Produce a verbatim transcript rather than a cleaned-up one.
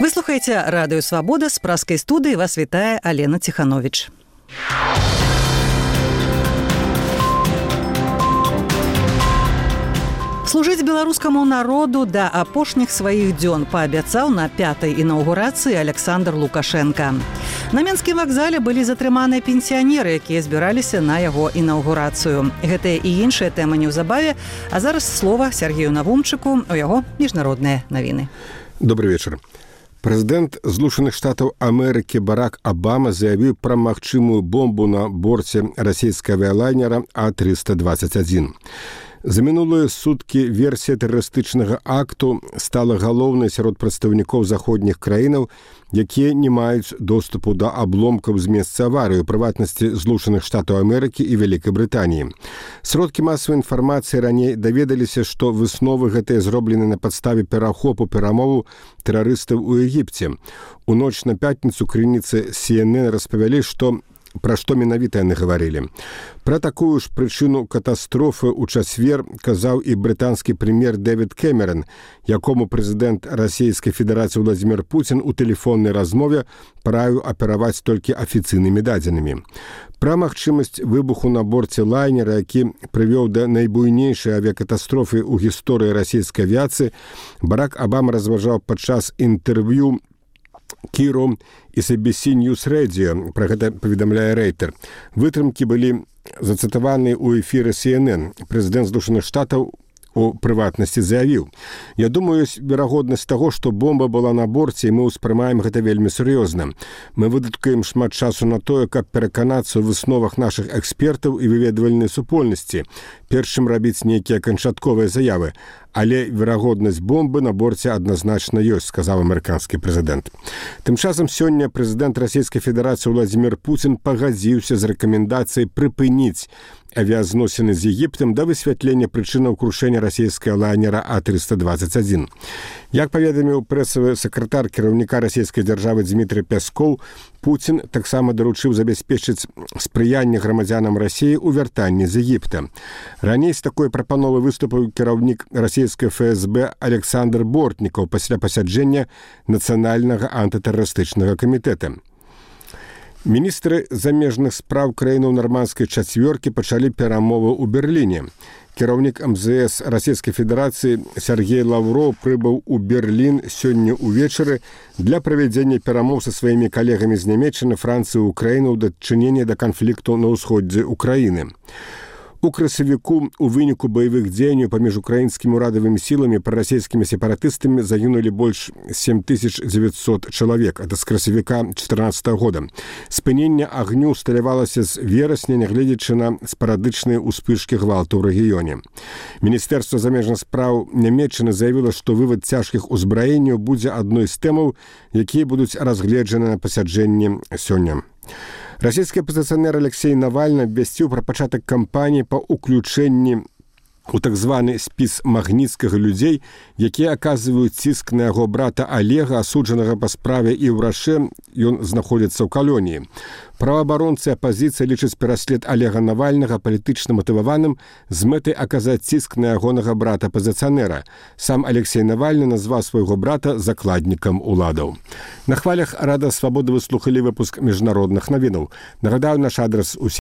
Вы слухаеце радыё Свабода, з праскай студыі вас вітае Алена Ціхановіч. Служыць беларускаму народу да апошніх сваіх дзён паабяцаў на пятай інаўгурацыі Александр Лукашенко. На Менскім вакзале былі затрыманыя пенсіянеры, якія збіраліся на яго інаўгурацыю. Гэтыя і іншыя тэмы неўзабаве, а зараз слова Сергею Навумчыку, у яго міжнародныя навіны. Добрый вечер. Прэзідэнт Злучаных Штатаў Амерыкі Барак Абама заявіў пра магчымую бомбу на борце расійскага авіялайнера А трыста дваццаць адзін. За мінулыя суткі версія тэрарыстычнага акту стала галоўнай сярод прадстаўнікоў заходніх краінаў, якія не маюць доступу да абломкаў з месца аварыі, у прыватнасці Злучаных Штатаў Амерыкі і Вялікай Брытаніі. Сродкі масавай інфармацыі раней даведаліся, што высновы гэтыя зроблены на падставе перахопу перамову тэрарыстаў у Егіпце. У ноч на пятніцу крыніцы Си Эн Эн распавялі, што пра што менавіта яны гаварылі. Пра такую ж прычыну катастрофы ў чацвер казаў і брытанскі прэм'ер Дэвід Кэмерон, якому прэзідэнт Расійскай Федэрацыі Владзімір Пуцін у тэлефоннай размове параіў апераваць толькі афіцыйнымі дадзенымі. Пра магчымасць выбуху на борце лайнера, які прывёў да найбуйнейшай авіякатастрофы ў гісторыі расійскай авіяцыі, Барак Абама разважаў падчас інтэрв'ю Кіру і Си Би Си News Radio, пра гэта паведамляе Рэйтер. Вытрымкі былі зацытаваны ў эфіры Си Эн Эн. Прэзідэнт Злучаных Штатаў у прыватнасці заявіў: «Я думаю, ёсць верагоднасць таго, што бомба была на борце, і мы ўспрымаем гэта вельмі сур'ёзна. Мы выдаткаем шмат часу на тое, каб пераканацца ў высновах нашых экспертаў і выведвальнай супольнасці, перш чым рабіць нейкія канчатковыя заявы. Але верагоднасць бомбы на борце адназначна ёсць», сказаў амерыканскі прэзідэнт. Тым часам сёння прэзідэнт Расійскай Федэрацыі Владзімір Пуцін пагадзіўся з рэкамендацыяй прыпыніць авіязносіны з Егіптам да высвятлення прычынаў крушэння расійскага лайнера А трыста дваццаць адзін. Як паведаміў прэсавы сакратар кіраўніка расійскай дзяржавы Дмітрый Пяскоў, Пуцін таксама даручыў забяспечыць спрыянне грамадзянам Расіі ў вяртанні з Егіпта. Раней з такой прапановы выступіў кіраўнік расійскай Эф Эс Бэ Александр Бортнікаў пасля пасяджэння Нацыянальнага антытэрарыстычнага камітэта. Міністры замежных спраў краінаў нармандскай чацвёркі пачалі перамовы ў Берліне. Кіраўнік Эм Зэ Эс Расійскай Федэрацыі Сергей Лаўроў прыбыў у Берлін сёння ўвечары для правядзення перамоў са сваімі калегамі з Нямецчыны, Францыі і Украіны ў дачыненні да канфлікту на ўсходзе Украіны. У красавіку у выніку баявых дзеянняў паміж украінскімі ўрадавымі сіламі і прарасійскімі сепаратыстамі загінулі больш сем тысяч дзевяцьсот чалавек, ад з красавіка чатырнаццатага года. Спыненне агню усталявалася з верасня, нягледзячы на спарадычныя ўспышкі гвалту ў рэгіёне. Міністэрства замежных спраў Нямецчыны заявіла, што вывад цяжкіх узбраенняў будзе адной з тэмаў, якія будуць разгледжаны на пасяджэнні сёння. Расійскі апазіцыянер Алексей Навальны абвясціў пра пачатак кампаніі па ўключэнні у так званы спіс магніцкага людзей, якія аказваюць ціск на яго брата Алега, асуджанага па справе і ў Рашэ, ён знаходзіцца ў калоніі. Праваабаронцы апазіцыі лічаць пераслед Алега Навальнага палітычна матываваным з мэтай аказаць ціск на ягонага брата-апазіцыянера. Сам Алексей Навальны назваў свайго брата закладнікам уладаў. На хвалях Рада Свабоды вы слухалі выпуск міжнародных навінаў. Нагадаю, наш адрас у